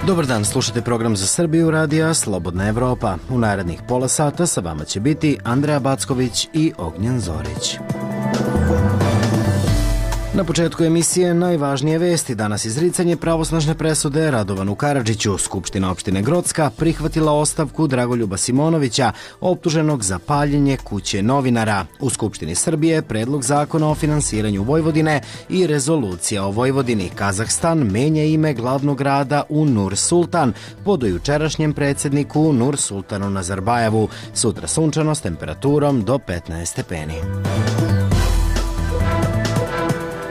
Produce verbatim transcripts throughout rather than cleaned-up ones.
Dobar dan, slušate program za Srbiju radija Slobodna Evropa. U narednih pola sata sa vama će biti Andreja Backović i Ognjen Zorić. Na početku emisije najvažnije vesti. Danas izricanje pravosnažne presude Radovanu Karadžiću. Skupština opštine Grocka prihvatila ostavku Dragoljuba Simonovića, optuženog za paljenje kuće novinara. U Skupštini Srbije predlog zakona o finansiranju Vojvodine i rezolucija o Vojvodini. Kazahstan menja ime glavnog grada u Nur Sultan po dojučerašnjem predsjedniku Nur Sultanu Nazarbajevu. Sutra sunčano s temperaturom do petnaest stepeni.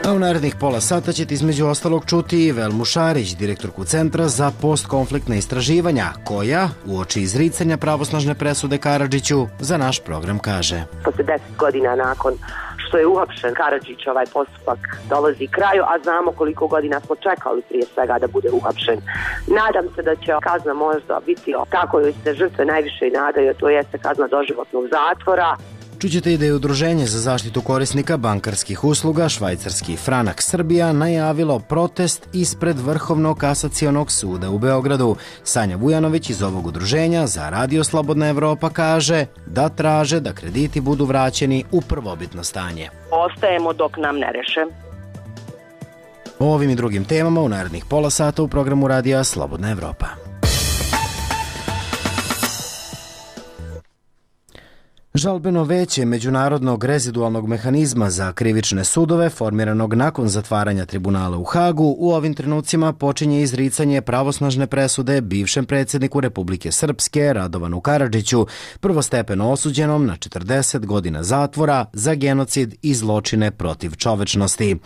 A u narednih pola sata ćete između ostalog čuti i Velmu Šarić, direktorku Centra za postkonfliktna istraživanja, koja, uoči izricanja pravosnažne presude Karadžiću, za naš program kaže: Posle deset godina nakon što je uhapšen Karadžić, ovaj postupak dolazi kraju, a znamo koliko godina smo čekali prije svega da bude uhapšen. Nadam se da će kazna možda biti tako joj se žrtve najviše i nadaju, to jeste kazna doživotnog zatvora. Čućete i da je Udruženje za zaštitu korisnika bankarskih usluga Švajcarski franak Srbija najavilo protest ispred Vrhovnog kasacionog suda u Beogradu. Sanja Vujanović iz ovog udruženja za Radio Slobodna Evropa kaže da traže da krediti budu vraćeni u prvobitno stanje. Ostajemo dok nam ne reše. O ovim i drugim temama u narednih pola sata u programu Radija Slobodna Evropa. Žalbeno veće Međunarodnog rezidualnog mehanizma za krivične sudove, formiranog nakon zatvaranja tribunala u Hagu, u ovim trenucima počinje izricanje pravosnažne presude bivšem predsjedniku Republike Srpske Radovanu Karadžiću, prvostepeno osuđenom na četrdeset godina zatvora za genocid i zločine protiv čovečnosti.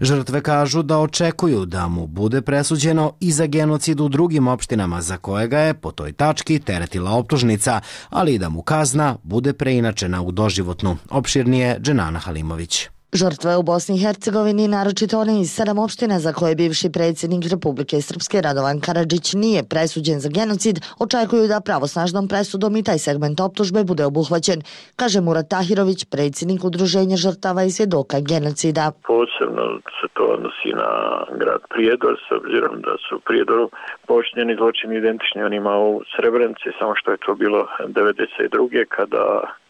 Žrtve kažu da očekuju da mu bude presuđeno i za genocid u drugim opštinama za kojega je po toj tački teretila optužnica, ali i da mu kazna bude preinačena u doživotnu. Opširnije Dženana Halimović. Žrtve u Bosni i Hercegovini, naročito one iz sedam opština za koje bivši predsjednik Republike Srpske Radovan Karadžić nije presuđen za genocid, očekuju da pravosnažnom presudom i taj segment optužbe bude obuhvaćen, kaže Murat Tahirović, predsjednik Udruženja žrtava i svjedoka genocida. Posebno se to odnosi na grad Prijedor, s obzirom da su u Prijedoru počinjeni zločini identični onima u Srebrenici, samo što je to bilo devedeset druge kada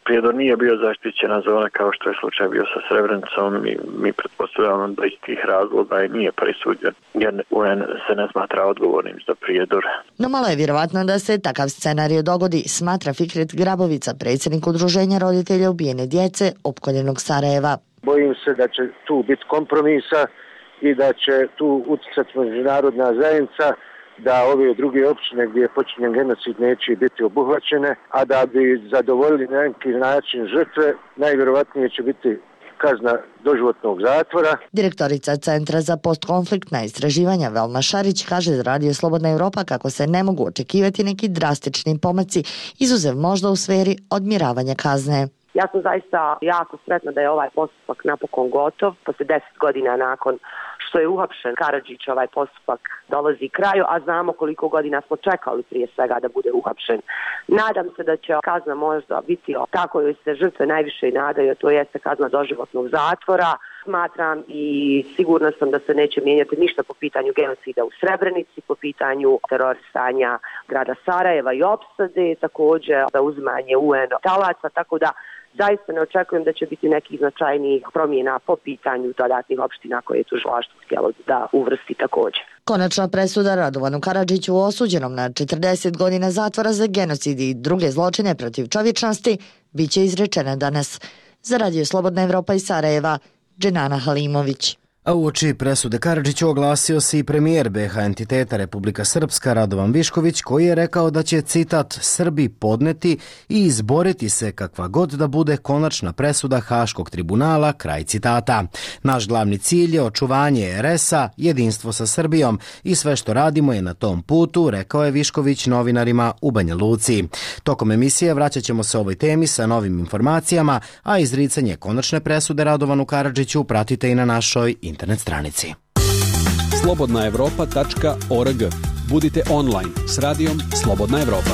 Prijedor nije bio zaštićena zona kao što je slučaj bio sa Srebrenicom i mi pretpostavljamo da iz tih razloga i nije presuđen jer U N se ne smatra odgovornim za Prijedor. No malo je vjerovatno da se takav scenarij dogodi, smatra Fikret Grabovica, predsjednik Udruženja roditelja ubijene djece opkoljenog Sarajeva. Bojim se da će tu biti kompromisa i da će tu utjecati međunarodna zajednica da ove druge općine gdje je počinjen genocid neće biti obuhvaćene, a da bi zadovoljili na neki način žrtve, najvjerovatnije će biti kazna doživotnog zatvora. Direktorica Centra za postkonfliktna istraživanja Velma Šarić kaže za Radio Slobodna Evropa kako se ne mogu očekivati neki drastični pomaci, izuzev možda u sferi odmjeravanja kazne. Ja sam zaista jako sretna da je ovaj postupak napokon gotov. Posle deset godina nakon što je uhapšen Karadžić, ovaj postupak dolazi kraju, a znamo koliko godina smo čekali prije svega da bude uhapšen. Nadam se da će kazna možda biti tako joj se žrtve najviše i nadaju, to jeste kazna doživotnog zatvora. Smatram i sigurna sam da se neće mijenjati ništa po pitanju genocida u Srebrenici, po pitanju terorisanja grada Sarajeva i opsade, također da uzimanje U N talaca, tako da zaista ne očekujem da će biti nekih značajnijih promjena po pitanju dodatnih opština koje je tužilaštvo htjelo da uvrsti također. Konačna presuda Radovanu Karadžiću, osuđenom na četrdeset godina zatvora za genocid i druge zločine protiv čovječnosti, bit će izrečena danas. Za Radio Slobodna Evropa iz Sarajeva, Dženana Halimović. A uoči presude Karadžiću oglasio se i premijer B H entiteta Republika Srpska Radovan Višković, koji je rekao da će, citat, Srbi podneti i izboriti se kakva god da bude konačna presuda Haškog tribunala, kraj citata. Naš glavni cilj je očuvanje er es a, jedinstvo sa Srbijom i sve što radimo je na tom putu, rekao je Višković novinarima u Banja Luci. Tokom emisije vraćat ćemo se ovoj temi sa novim informacijama, a izricanje konačne presude Radovanu Karadžiću pratite i na našoj internet stranici. slobodna evropa tačka org. Budite online s radijom Slobodna Evropa.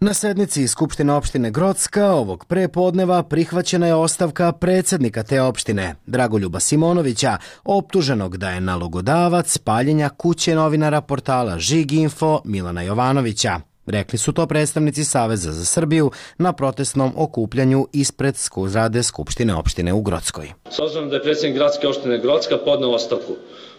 Na sednici Skupštine opštine Grocka ovog prepodneva prihvaćena je ostavka predsjednika te opštine, Dragoljuba Simonovića, optuženog da je nalogodavac paljenja kuće novinara portala Žiginfo Milana Jovanovića. Rekli su to predstavnici Saveza za Srbiju na protestnom okupljanju ispred zgrade Skupštine opštine u Grockoj. S obzirom da je predsjednik gradske opštine Grocka podneo ostavku,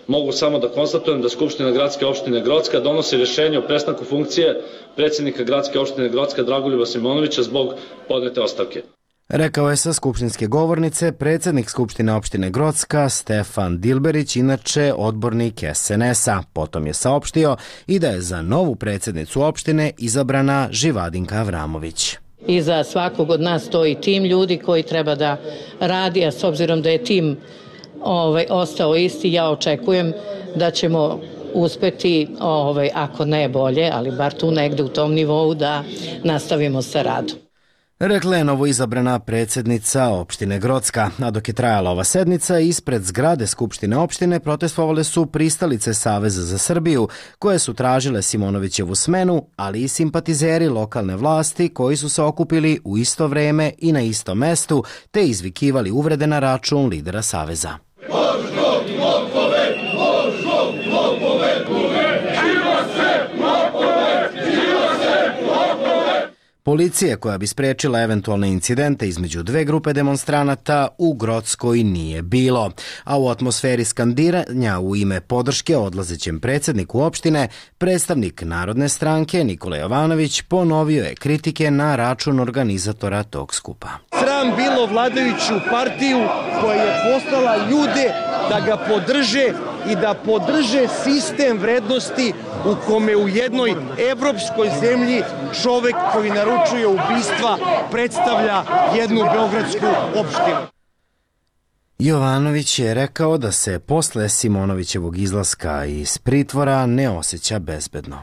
mogu samo da konstatujem da Skupština gradske opštine Grocka donosi rješenje o prestanku funkcije predsjednika gradske opštine Grocka Dragoljuba Simonovića zbog podnete ostavke. Rekao je sa skupštinske govornice predsjednik Skupštine opštine Grocka Stefan Dilberić, inače odbornik S N S-a. Potom je saopštio i da je za novu predsjednicu opštine izabrana Živadinka Avramović. Iza svakog od nas stoji tim ljudi koji treba da radi, a s obzirom da je tim ovaj, ostao isti, ja očekujem da ćemo uspeti, ovaj, ako ne bolje, ali bar tu negde u tom nivou da nastavimo sa radom. Rekla je novo izabrana predsjednica opštine Grocka, a dok je trajala ova sednica, ispred zgrade Skupštine opštine protestovale su pristalice Saveza za Srbiju, koje su tražile Simonovićevu smenu, ali i simpatizeri lokalne vlasti koji su se okupili u isto vreme i na istom mestu, te izvikivali uvrede na račun lidera Saveza. Policije koja bi sprečila eventualne incidente između dve grupe demonstranata u Grockoj nije bilo, a u atmosferi skandiranja u ime podrške odlazećem predsjedniku opštine, predstavnik Narodne stranke Nikola Jovanović ponovio je kritike na račun organizatora tog skupa. Sram bilo vladajuću partiju koja je poslala ljude da ga podrže i da podrže sistem vrednosti u kome u jednoj evropskoj zemlji čovek koji naručuje ubistva predstavlja jednu beogradsku opštinu. Jovanović je rekao da se posle Simonovićevog izlaska iz pritvora ne osjeća bezbedno.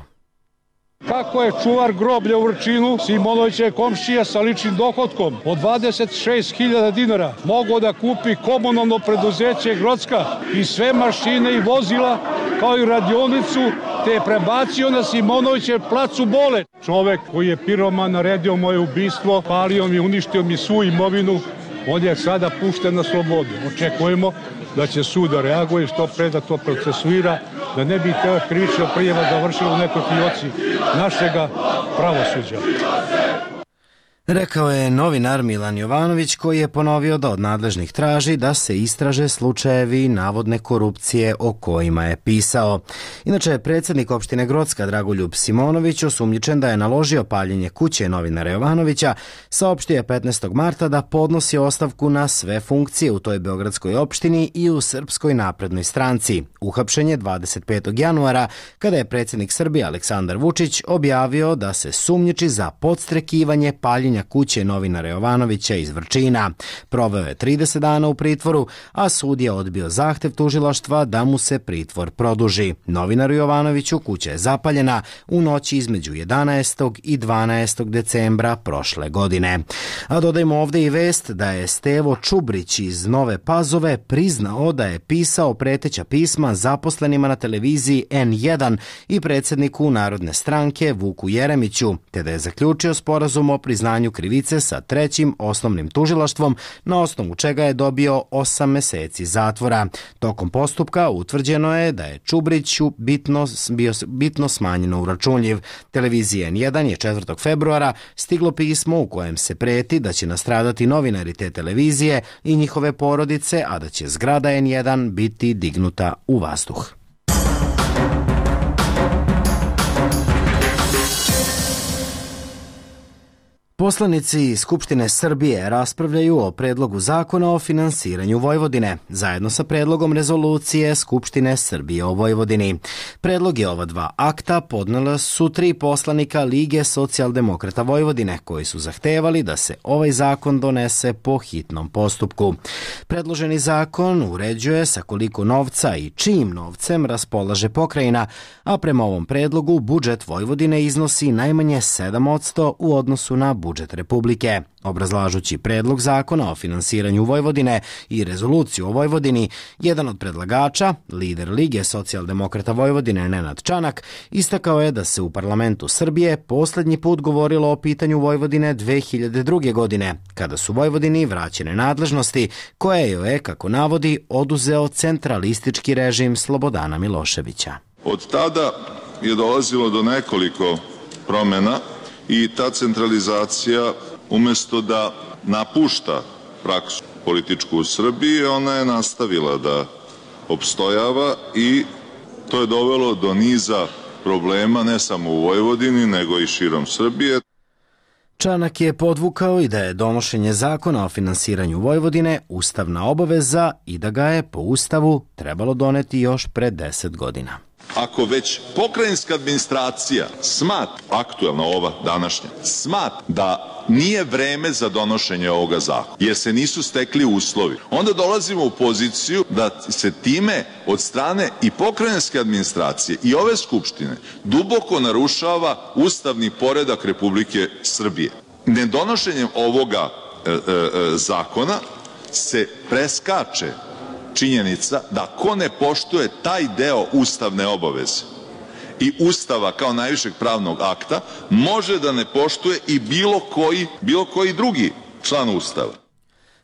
Kako je čuvar groblja u Vrčinu, Simonovićev komšija sa ličnim dohodkom od dvadeset šest hiljada dinara mogao da kupi komunalno preduzeće Grocka i sve mašine i vozila kao i radionicu, te je prebacio na Simonovićev plac u Bole. Čovek koji je piroman naredio moje ubistvo, palio mi, uništio mi svu imovinu, on je sada pušten na slobodu. Očekujemo da će sud da reaguje, što pre da to procesuira, da ne bi te krivična prijava završila u nekoj fioci našega pravosuđa. Rekao je novinar Milan Jovanović, koji je ponovio da od nadležnih traži da se istraže slučajevi navodne korupcije o kojima je pisao. Inače, predsjednik opštine Grocka Dragoljub Simonović, osumnjičen da je naložio paljenje kuće novinara Jovanovića, saopštio je petnaestog marta da podnosi ostavku na sve funkcije u toj beogradskoj opštini i u Srpskoj naprednoj stranci. Uhapšen je dvadeset petog januara, kada je predsjednik Srbije Aleksandar Vučić objavio da se sumnjiči za podstrekivanje paljenja kuće novinara Jovanovića iz Vrčina. Proveo je trideset dana u pritvoru, a sud je odbio zahtev tužilaštva da mu se pritvor produži. Novinaru Jovanoviću kuća je zapaljena u noći između jedanaestog i dvanaestog decembra prošle godine. A dodajmo ovdje i vest da je Stevo Čubrić iz Nove Pazove priznao da je pisao preteća pisma zaposlenima na televiziji N jedan i predsjedniku Narodne stranke Vuku Jeremiću, te da je zaključio sporazum o priznanju krivice sa trećim osnovnim tužilaštvom, na osnovu čega je dobio osam meseci zatvora. Tokom postupka utvrđeno je da je Čubriću bitno, bio bitno smanjeno uračunljiv. Televizija N jedan je četvrtog februara stiglo pismo u kojem se preti da će nastradati novinari te televizije i njihove porodice, a da će zgrada N jedan biti dignuta u vazduh. Poslanici Skupštine Srbije raspravljaju o predlogu zakona o finansiranju Vojvodine, zajedno sa predlogom rezolucije Skupštine Srbije o Vojvodini. Predloge ova dva akta podnela su tri poslanika Lige socijaldemokrata Vojvodine, koji su zahtevali da se ovaj zakon donese po hitnom postupku. Predloženi zakon uređuje sa koliko novca i čijim novcem raspolaže pokrajina, a prema ovom predlogu budžet Vojvodine iznosi najmanje sedam posto u odnosu na budžet budžet Republike. Obrazlažući predlog zakona o finansiranju Vojvodine i rezoluciju o Vojvodini, jedan od predlagača, lider Lige socijaldemokrata Vojvodine Nenad Čanak, istakao je da se u parlamentu Srbije poslednji put govorilo o pitanju Vojvodine dve hiljade druge. godine, kada su Vojvodini vraćene nadležnosti koje joj je, kako navodi, oduzeo centralistički režim Slobodana Miloševića. Od tada je dolazilo do nekoliko promena i ta centralizacija, umesto da napušta praksu političku u Srbiji, ona je nastavila da opstojava i to je dovelo do niza problema ne samo u Vojvodini, nego i širom Srbije. Čanak je podvukao i da je donošenje zakona o finansiranju Vojvodine ustavna obaveza i da ga je po Ustavu trebalo doneti još pre deset godina. Ako već pokrajinska administracija smat, aktuelna ova današnja, smat da nije vreme za donošenje ovoga zakona, jer se nisu stekli uslovi, onda dolazimo u poziciju da se time od strane i pokrajinske administracije i ove skupštine duboko narušava ustavni poredak Republike Srbije. Nedonošenjem ovoga e, e, zakona se preskače činjenica da ko ne poštuje taj deo ustavne obaveze i Ustava kao najvišeg pravnog akta može da ne poštuje i bilo koji, bilo koji drugi član Ustava.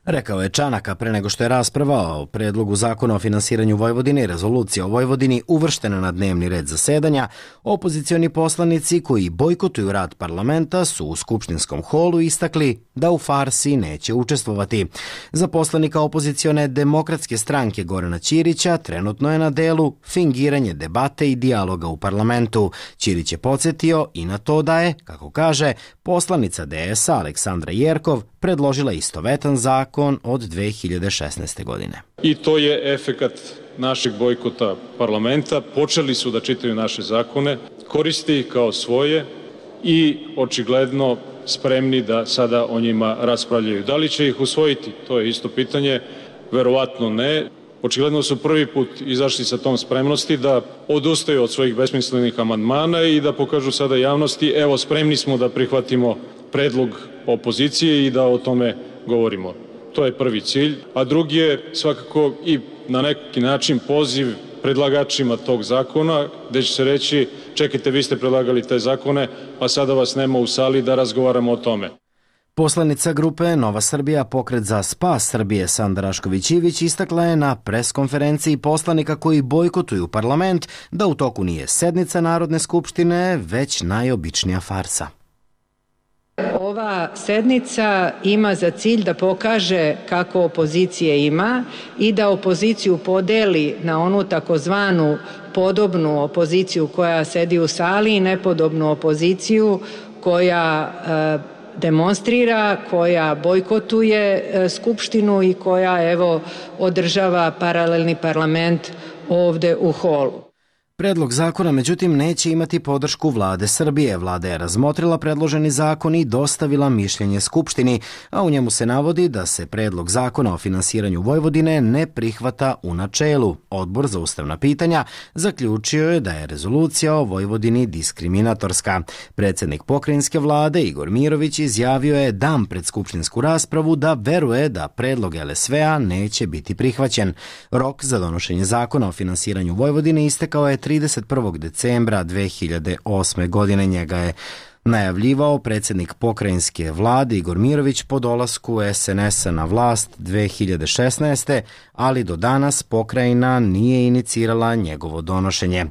Rekao je Čanaka pre nego što je rasprava o predlogu zakona o finansiranju Vojvodine i rezolucija o Vojvodini uvrštena na dnevni red zasedanja. Opozicioni poslanici koji bojkotuju rad parlamenta su u skupštinskom holu istakli da u farsi neće učestvovati. Za poslanika opozicione Demokratske stranke Gorana Ćirića trenutno je na delu fingiranje debate i dijaloga u parlamentu. Ćirić je podsjetio i na to da je, kako kaže, poslanica D S A Aleksandra Jerkov predložila istovetan zakon od dve hiljade šesnaeste. godine. I to je efekat našeg bojkota parlamenta. Počeli su da čitaju naše zakone, koriste ih kao svoje i očigledno spremni da sada o njima raspravljaju. Da li će ih usvojiti? To je isto pitanje. Verovatno ne. Očigledno su prvi put izašli sa tom spremnosti da odustaju od svojih besmislenih amandmana i da pokažu sada javnosti, evo, spremni smo da prihvatimo predlog opozicije i da o tome govorimo. To je prvi cilj. A drugi je svakako i na neki način poziv predlagačima tog zakona, gde će se reći, čekajte, vi ste predlagali te zakone, a sada vas nema u sali da razgovaramo o tome. Poslanica grupe Nova Srbija, Pokret za spas Srbije Sanda Rašković-Ivić istakla je na preskonferenciji poslanika koji bojkotuju parlament da u toku nije sednica Narodne skupštine, već najobičnija farsa. Ova sednica ima za cilj da pokaže kako opozicije ima i da opoziciju podeli na onu takozvanu podobnu opoziciju koja sedi u sali i nepodobnu opoziciju koja e, demonstrira, koja bojkotuje e, Skupštinu i koja, evo, održava paralelni parlament ovde u holu. Predlog zakona, međutim, neće imati podršku vlade Srbije. Vlada je razmotrila predloženi zakon i dostavila mišljenje Skupštini, a u njemu se navodi da se predlog zakona o finansiranju Vojvodine ne prihvata u načelu. Odbor za ustavna pitanja zaključio je da je rezolucija o Vojvodini diskriminatorska. Predsednik pokrajinske vlade Igor Mirović izjavio je dan pred skupštinsku raspravu da veruje da predlog L S V-a neće biti prihvaćen. Rok za donošenje zakona o finansiranju Vojvodine istekao je trideset prvog decembra dve hiljade osme. godine. Njega je najavljivao predsednik pokrajinske vlade Igor Mirović po dolasku S N S-a na vlast dve hiljade šesnaeste. ali do danas pokrajina nije inicirala njegovo donošenje.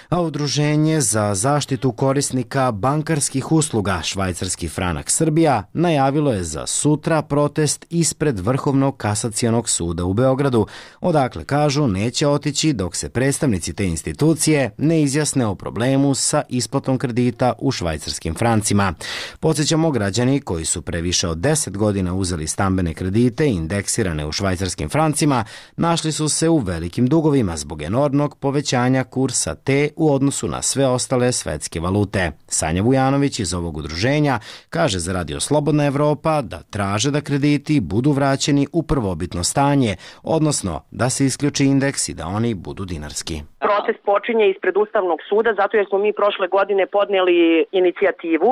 A Udruženje za zaštitu korisnika bankarskih usluga Švajcarski franak Srbija najavilo je za sutra protest ispred Vrhovnog kasacionog suda u Beogradu, odakle kažu neće otići dok se predstavnici te institucije ne izjasne o problemu sa isplatom kredita u švajcarskim francima. Podsjećamo, građani koji su pre više od deset godina uzeli stambene kredite indeksirane u švajcarskim francima našli su se u velikim dugovima zbog enormnog povećanja kursa te u u odnosu na sve ostale svetske valute. Sanja Vujanović iz ovog udruženja kaže za Radio Slobodna Evropa da traže da krediti budu vraćeni u prvobitno stanje, odnosno da se isključi indeks i da oni budu dinarski. Proces počinje ispred Ustavnog suda zato jer smo mi prošle godine podnijeli inicijativu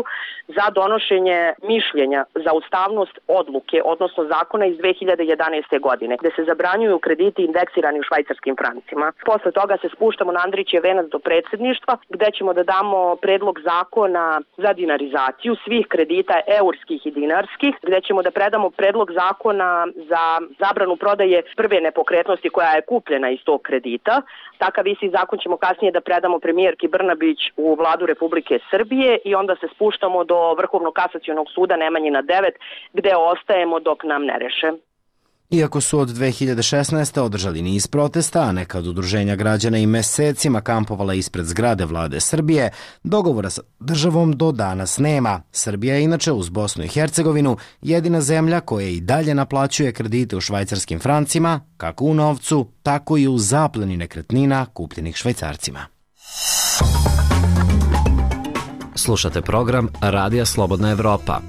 za donošenje mišljenja za ustavnost odluke, odnosno zakona iz dve hiljade jedanaeste. godine, gde se zabranjuju krediti indeksirani u švajcarskim francima. Posle toga se spuštamo na Andrićev venac do predsjedništva, gde ćemo da damo predlog zakona za dinarizaciju svih kredita eurskih i dinarskih, gde ćemo da predamo predlog zakona za zabranu prodaje prve nepokretnosti koja je kupljena iz tog kredita. Takav isti zakon ćemo kasnije da predamo premijerki Brnabić u vladu Republike Srbije i onda se spuštamo do Vrhovnog kasacionog suda Nemanjina devet, gde ostajemo dok nam ne reše. Iako su od dve hiljade šesnaeste. održali niz protesta, a neka od udruženja građana i mesecima kampovala ispred zgrade vlade Srbije, dogovora sa državom do danas nema. Srbija je inače uz Bosnu i Hercegovinu jedina zemlja koja i dalje naplaćuje kredite u švajcarskim francima, kako u novcu, tako i u zapleni nekretnina kupljenih Švajcarcima. Slušate program Radija Slobodna Evropa.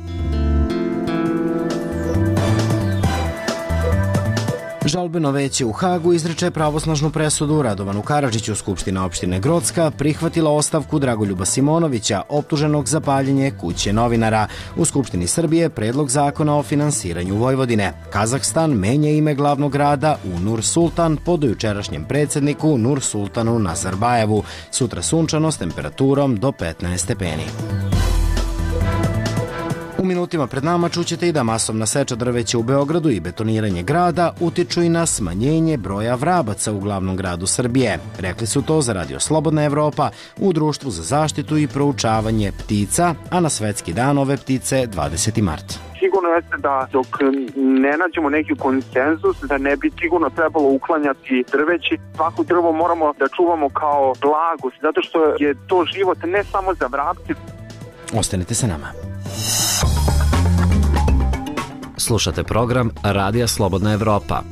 Žalbeno veće u Hagu izreče pravosnažnu presudu Radovanu Karadžiću. Skupština opštine Grocka prihvatila ostavku Dragoljuba Simonovića, optuženog za paljenje kuće novinara. U Skupštini Srbije predlog zakona o finansiranju Vojvodine. Kazahstan menja ime glavnog grada u Nur Sultan po dojučerašnjem predsjedniku Nur Sultanu Nazarbajevu. Sutra sunčano s temperaturom do petnaest stepeni. U minutima pred nama čućete i da masovna seča drveća u Beogradu i betoniranje grada utiču i na smanjenje broja vrabaca u glavnom gradu Srbije. Rekli su to za Radio Slobodna Evropa u Društvu za zaštitu i proučavanje ptica, a na Svetski dan ove ptice dvadeseti mart. Sigurno jeste da dok ne nađemo neki konsenzus, da ne bi sigurno trebalo uklanjati drveći. Svako drvo moramo da čuvamo kao blagost, zato što je to život ne samo za vrapce. Ostanite sa nama. Slušate program Radija Slobodna Evropa.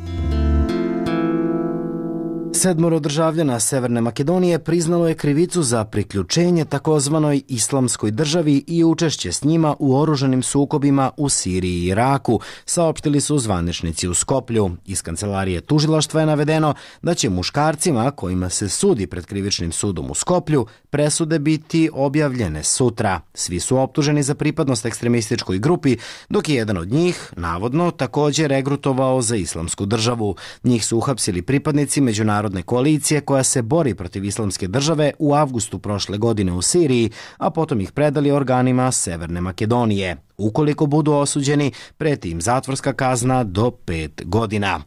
Sedmoro državljana Severne Makedonije priznalo je krivicu za priključenje takozvanoj islamskoj državi i učešće s njima u oružanim sukobima u Siriji i Iraku, saopštili su zvaničnici u Skoplju. Iz kancelarije tužilaštva je navedeno da će muškarcima kojima se sudi pred krivičnim sudom u Skoplju presude biti objavljene sutra. Svi su optuženi za pripadnost ekstremističkoj grupi, dok je jedan od njih, navodno, također regrutovao za islamsku državu. Njih su uhapsili pripadnici međunarodne koalicije koja se bori protiv islamske države u avgustu prošle godine u Siriji, a potom ih predali organima Severne Makedonije. Ukoliko budu osuđeni, preti im zatvorska kazna do pet godina.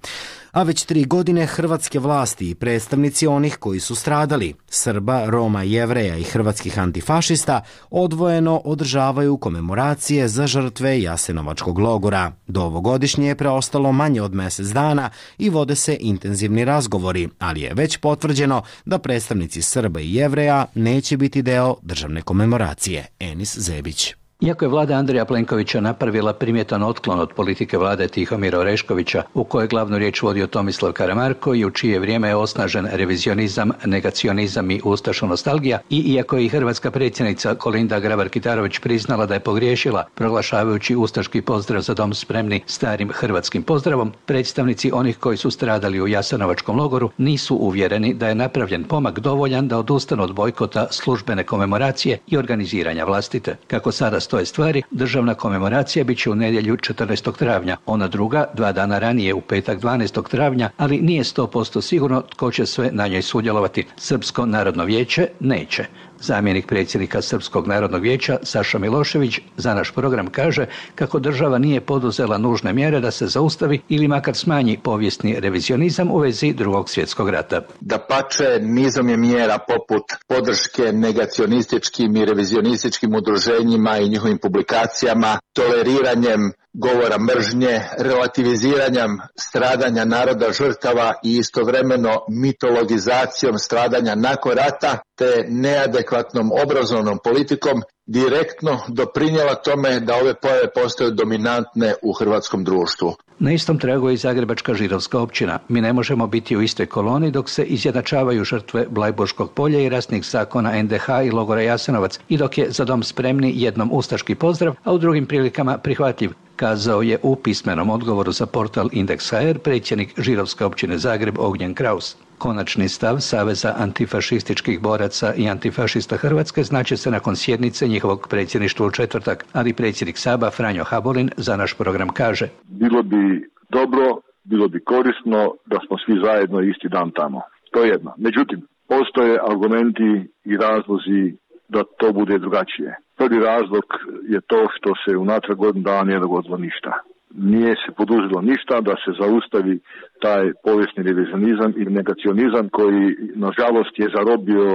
A već tri godine hrvatske vlasti i predstavnici onih koji su stradali, Srba, Roma, Jevreja i hrvatskih antifašista, odvojeno održavaju komemoracije za žrtve Jasenovačkog logora. Do ovogodišnje je preostalo manje od mjesec dana i vode se intenzivni razgovori, ali je već potvrđeno da predstavnici Srba i Jevreja neće biti deo državne komemoracije. Enis Zebić. Iako je vlada Andreja Plenkovića napravila primjetan otklon od politike vlade Tihomira Oreškovića, u kojoj glavnu riječ vodio Tomislav Karamarko i u čije vrijeme je osnažen revizionizam, negacionizam i ustaško nostalgija, i iako je i hrvatska predsjednica Kolinda Grabar-Kitarović priznala da je pogriješila proglašavajući ustaški pozdrav za dom spremni starim hrvatskim pozdravom, predstavnici onih koji su stradali u Jasenovačkom logoru nisu uvjereni da je napravljen pomak dovoljan da odustanu od bojkota službene komemoracije i organiziranja vlastite. Kako sada stoje stvari, državna komemoracija bit će u nedjelju četrnaestog travnja, ona druga dva dana ranije u petak dvanaestog travnja, ali nije sto posto sigurno tko će sve na njoj sudjelovati. Srpsko narodno vijeće neće. Zamjenik predsjednika Srpskog narodnog vijeća Saša Milošević za naš program kaže kako država nije poduzela nužne mjere da se zaustavi ili makar smanji povijesni revizionizam u vezi Drugog svjetskog rata. Dapače, nizom je mjera poput podrške negacionističkim i revizionističkim udruženjima i njihovim publikacijama, toleriranjem govora mržnje, relativiziranja stradanja naroda žrtava i istovremeno mitologizacijom stradanja nakon rata te neadekvatnom obrazovnom politikom direktno doprinijela tome da ove pojave postaju dominantne u hrvatskom društvu. Na istom tragu je i Zagrebačka židovska općina. Mi ne možemo biti u istoj koloni dok se izjednačavaju žrtve Blajburškog polja i rasnih zakona en de ha i logora Jasenovac i dok je za dom spremni jednom ustaški pozdrav, a u drugim prilikama prihvatljiv, kazao je u pismenom odgovoru za portal Indeks ha er predsjednik židovske općine Zagreb Ognjen Kraus. Konačni stav Saveza antifašističkih boraca i antifašista Hrvatske znači se nakon sjednice njihovog predsjedništva u četvrtak, ali predsjednik Saba Franjo Habolin za naš program kaže: Bilo bi dobro, bilo bi korisno da smo svi zajedno isti dan tamo. To je jedno. Međutim, postoje argumenti i razlozi da to bude drugačije. Prvi razlog je to što se unatrag godinu dana nije dogodilo ništa. Nije se poduzelo ništa da se zaustavi taj povijesni revizionizam i negacionizam koji, nažalost, je zarobio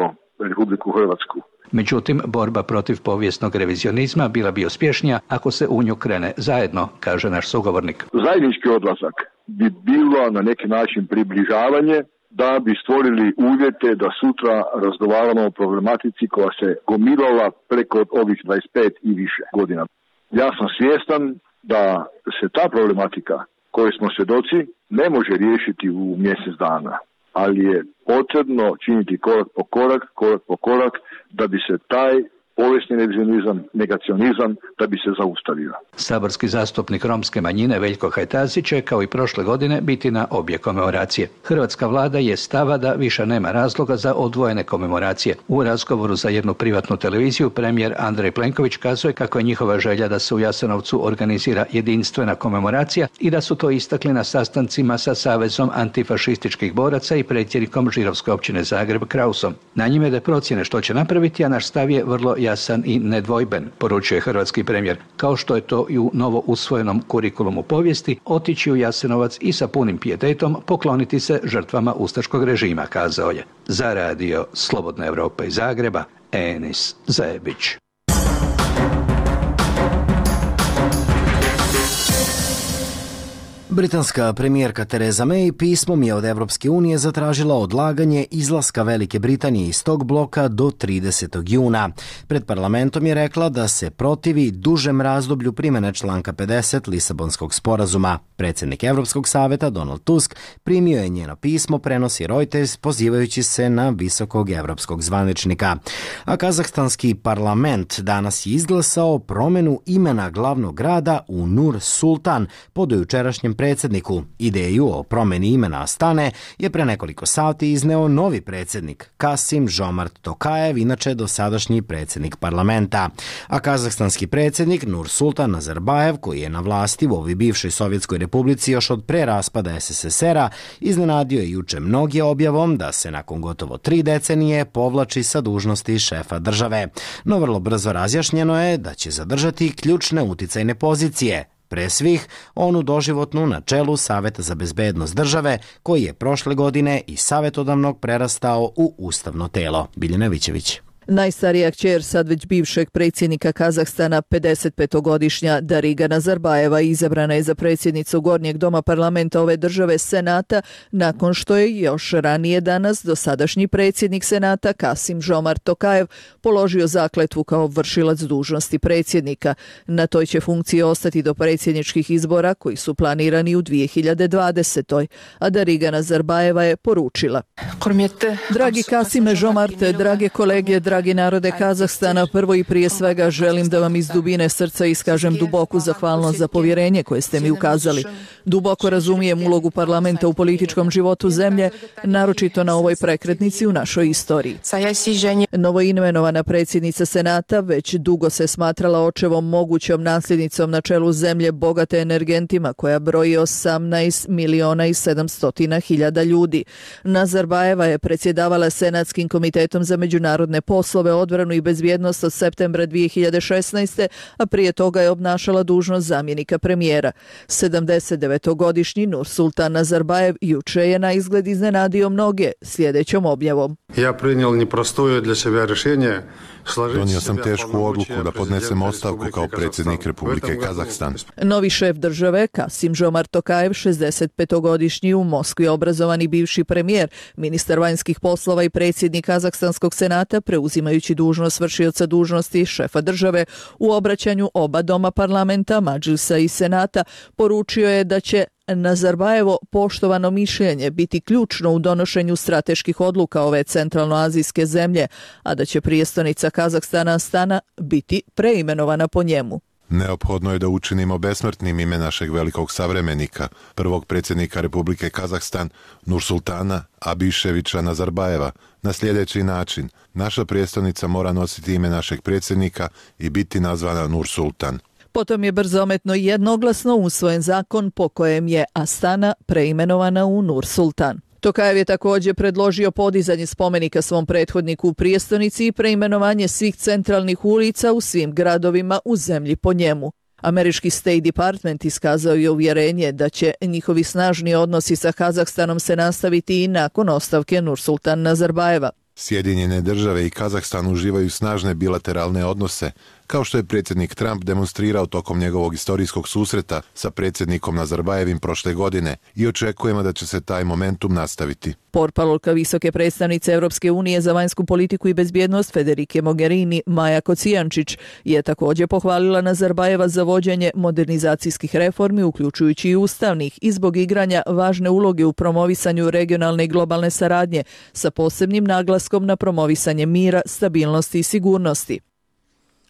Republiku Hrvatsku. Međutim, borba protiv povijesnog revizionizma bila bi uspješnija ako se u nju krene zajedno, kaže naš sugovornik. Zajednički odlazak bi bilo na neki način približavanje da bi stvorili uvjete da sutra razgovaramo o problematici koja se gomilala preko ovih dvadeset pet i više godina. Ja sam svjestan da se ta problematika koje smo svjedoci ne može riješiti u mjesec dana, ali je potrebno činiti korak po korak, korak po korak da bi se taj povijesni revizionizam, negacionizam, da bi se zaustavio. Saborski zastupnik romske manjine Veljko Hajtazi će kao i prošle godine biti na obje komemoracije. Hrvatska vlada je stava da više nema razloga za odvojene komemoracije. U razgovoru za jednu privatnu televiziju premijer Andrej Plenković kazuje kako je njihova želja da se u Jasenovcu organizira jedinstvena komemoracija i da su to istakli na sastancima sa Savezom antifašističkih boraca i predsjednikom židovske općine Zagreb Krausom. Na njime da procjene što će napraviti, a naš stav je vrlo jasan i nedvojben, poručuje hrvatski premijer, kao što je to i u novo usvojenom kurikulumu povijesti, otići u Jasenovac i sa punim pijetetom pokloniti se žrtvama ustaškog režima, kazao je. Za radio Slobodna Evropa iz Zagreba, Enis Zajebić. Britanska premijerka Theresa May pismom je od Evropske unije zatražila odlaganje izlaska Velike Britanije iz tog bloka do tridesetog juna. Pred parlamentom je rekla da se protivi dužem razdoblju primjene članka pedeset Lisabonskog sporazuma. Predsjednik Evropskog saveta Donald Tusk primio je njeno pismo, prenosi Reuters, pozivajući se na visokog evropskog zvaničnika. A kazahstanski parlament danas je izglasao promjenu imena glavnog grada u Nur Sultan po dojučerašnjem predsjedniku. Ideju o promjeni imena Astane je pre nekoliko sati izneo novi predsjednik Kasim Žomart Tokajev, inače dosadašnji predsjednik parlamenta. A kazahstanski predsjednik Nur Sultan Nazarbajev, koji je na vlasti u ovoj bivšoj Sovjetskoj republici još od pre raspada es es es era, iznenadio je juče mnoge objavom da se nakon gotovo tri decenije povlači sa dužnosti šefa države. No vrlo brzo razjašnjeno je da će zadržati ključne uticajne pozicije. Pre svih, onu doživotnu na čelu Saveta za bezbednost države, koji je prošle godine iz savjetodavnog prerastao u ustavno telo. Biljana Vićević. Najstarija kćer sad već bivšeg predsjednika Kazahstana, pedesetpetogodišnja Dariga Nazarbajeva, izabrana je za predsjednicu Gornjeg doma parlamenta ove države Senata, nakon što je još ranije danas dosadašnji predsjednik Senata Kasim Žomart Tokajev položio zakletvu kao vršilac dužnosti predsjednika. Na toj će funkciji ostati do predsjedničkih izbora koji su planirani u dvije hiljade dvadesetoj. A Dariga Nazarbajeva je poručila: Dragi Kasime Žomarte, drage kolege, dragi narode Kazahstana, prvo i prije svega želim da vam iz dubine srca iskažem duboku zahvalnost za povjerenje koje ste mi ukazali. Duboko razumijem ulogu parlamenta u političkom životu zemlje, naročito na ovoj prekretnici u našoj istoriji. Novoimenovana predsjednica Senata već dugo se smatrala očevom mogućom nasljednicom na čelu zemlje bogate energentima koja broji osamnaest miliona i sedamsto hiljada ljudi. Nazarbajeva je predsjedavala Senatskim komitetom za međunarodne poslove poslove, odbranu i bezbjednost od septembra dvije hiljade šesnaeste. a prije toga je obnašala dužnost zamjenika premijera. sedamdesetdevetogodišnji Nursultan Nazarbajev juče je na izgled iznenadio mnoge sljedećom objavom. Ja priнял непростое для себя решение. Donio sam tešku odluku da podnesem ostavku kao predsjednik Republike Kazahstan. Novi šef države, Kasim Žomart Tokajev, šezdesetpetogodišnji u Moskvi obrazovani bivši premijer, ministar vanjskih poslova i predsjednik Kazahstanskog senata, preuzimajući dužnost vršioca dužnosti šefa države, u obraćanju oba doma parlamenta, Madžlisa i senata, poručio je da će Nazarbajevo poštovano mišljenje biti ključno u donošenju strateških odluka ove centralnoazijske zemlje, a da će prijestolnica Kazahstana Astana biti preimenovana po njemu. Neophodno je da učinimo besmrtnim ime našeg velikog savremenika, prvog predsjednika Republike Kazahstan, Nursultana Abiševića Nazarbajeva, na sljedeći način. Naša prijestolnica mora nositi ime našeg predsjednika i biti nazvana Nursultan. Potom je brzometno i jednoglasno usvojen zakon po kojem je Astana preimenovana u Nursultan. Tokajev je također predložio podizanje spomenika svom prethodniku u prijestolnici i preimenovanje svih centralnih ulica u svim gradovima u zemlji po njemu. Američki State Department iskazao je uvjerenje da će njihovi snažni odnosi sa Kazahstanom se nastaviti i nakon ostavke Nursultan Nazarbajeva. Sjedinjene države i Kazahstan uživaju snažne bilateralne odnose, kao što je predsjednik Trump demonstrirao tokom njegovog istorijskog susreta sa predsjednikom Nazarbajevim prošle godine i očekujemo da će se taj momentum nastaviti. Portparolka visoke predstavnice Europske unije za vanjsku politiku i bezbjednost Federike Mogherini Maja Kocijančić je također pohvalila Nazarbajeva za vođenje modernizacijskih reformi, uključujući i ustavnih, i zbog igranja važne uloge u promovisanju regionalne i globalne saradnje sa posebnim naglaskom na promovisanje mira, stabilnosti i sigurnosti.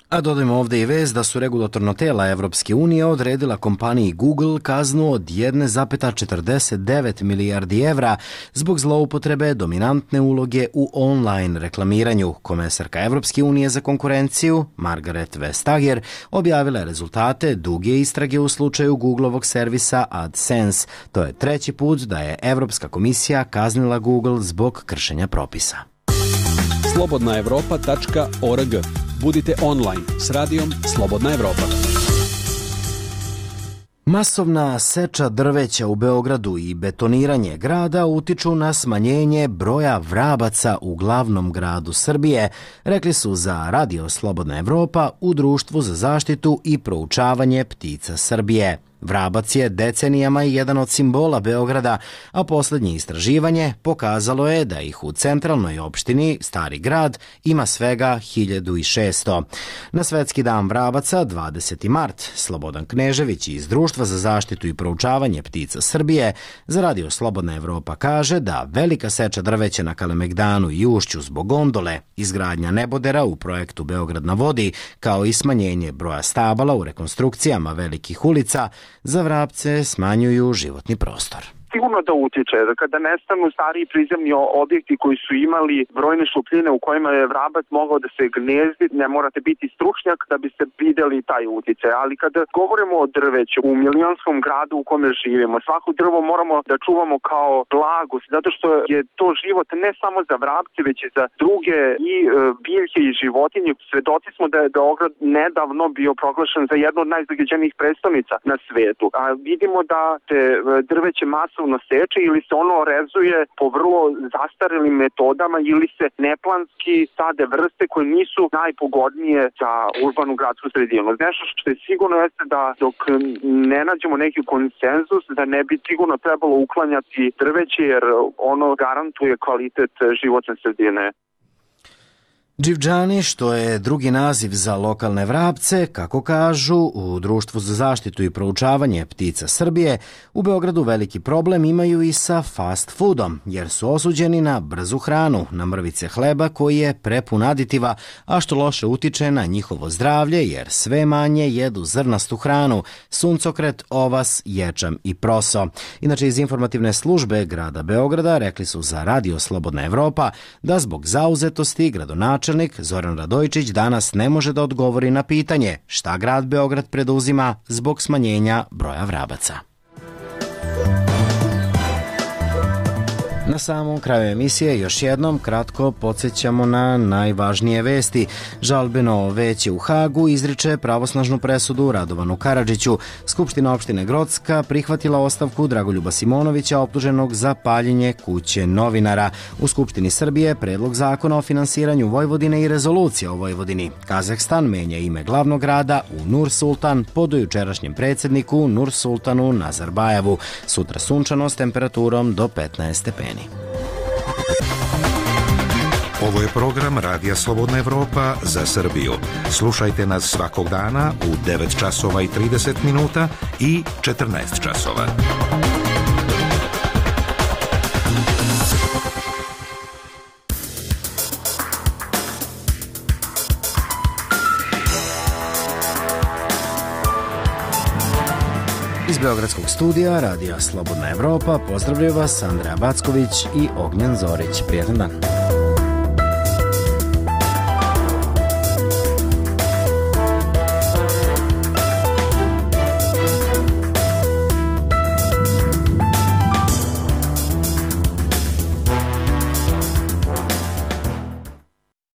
A dodajmo ovdje i vez da su regulatorno tela Evropske unije odredila kompaniji Google kaznu od jedan zarez četrdeset devet milijardi evra zbog zloupotrebe dominantne uloge u online reklamiranju. Komesarka Evropske unije za konkurenciju, Margaret Vestager, objavila je rezultate duge istrage u slučaju Googlovog servisa AdSense. To je treći put da je Evropska komisija kaznila Google zbog kršenja propisa. slobodna evropa tačka org. Budite online s radijom Slobodna Evropa. Masovna seča drveća u Beogradu i betoniranje grada utiču na smanjenje broja vrabaca u glavnom gradu Srbije, rekli su za Radio Slobodna Evropa u Društvu za zaštitu i proučavanje ptica Srbije. Vrabac je decenijama jedan od simbola Beograda, a posljednje istraživanje pokazalo je da ih u centralnoj opštini Stari grad ima svega hiljadu šesto. Na Svetski dan vrabaca, dvadeseti mart, Slobodan Knežević iz Društva za zaštitu i proučavanje ptica Srbije za Radio Slobodna Evropa kaže da velika seča drveća na Kalemegdanu i Ušću zbog gondole, izgradnja nebodera u projektu Beograd na vodi, kao i smanjenje broja stabala u rekonstrukcijama velikih ulica, za vrapce smanjuju životni prostor. Sigurno da utiče. Kada nestanu stariji prizemni objekti koji su imali brojne šupljine u kojima je vrabac mogao da se gnezdi, ne morate biti stručnjak da biste vidjeli taj utjecaj. Ali kada govorimo o drveću u milionskom gradu u kome živimo, svako drvo moramo da čuvamo kao blagost, zato što je to život ne samo za vrapce, već i za druge i biljke i životinje. Svedoci smo da je Beograd nedavno bio proglašen za jednu od najzagađenijih prestolnica na svetu. A vidimo da se drveće masovno seče ili se ono rezuje po vrlo zastarelim metodama ili se neplanski sade vrste koje nisu najpogodnije za urbanu gradsku sredinu. Nešto što je sigurno jeste da dok ne nađemo neki konsenzus da ne bi sigurno trebalo uklanjati drveće jer ono garantuje kvalitet životne sredine. Dživđani, što je drugi naziv za lokalne vrapce, kako kažu u Društvu za zaštitu i proučavanje ptica Srbije, u Beogradu veliki problem imaju i sa fast foodom, jer su osuđeni na brzu hranu, na mrvice hleba koji je prepun aditiva, a što loše utiče na njihovo zdravlje, jer sve manje jedu zrnastu hranu, suncokret, ovas, ječam i proso. Inače, iz informativne službe grada Beograda rekli su za Radio Slobodna Evropa da zbog zauzetosti gradonačelnika Zoran Radojčić danas ne može da odgovori na pitanje šta grad Beograd preduzima zbog smanjenja broja vrabaca. Na samom kraju emisije još jednom kratko podsjećamo na najvažnije vesti. Žalbeno veće u Hagu izriče pravosnažnu presudu Radovanu Karadžiću. Skupština opštine Grocka prihvatila ostavku Dragoljuba Simonovića optuženog za paljenje kuće novinara. U Skupštini Srbije predlog zakona o finansiranju Vojvodine i rezolucija o Vojvodini. Kazahstan menja ime glavnog grada u Nur Sultan po dojučerašnjem predsjedniku Nur Sultanu Nazarbajevu. Sutra sunčano s temperaturom do petnaest stepeni. Ovo je program Radija Slobodna Evropa za Srbiju. Slušajte nas svakog dana u devet časova i trideset minuta i četrnaest časova. Iz Beogradskog studija Radija Slobodna Evropa pozdravljaju vas Andreja Backović i Ognjen Zorić. Prijatan dan.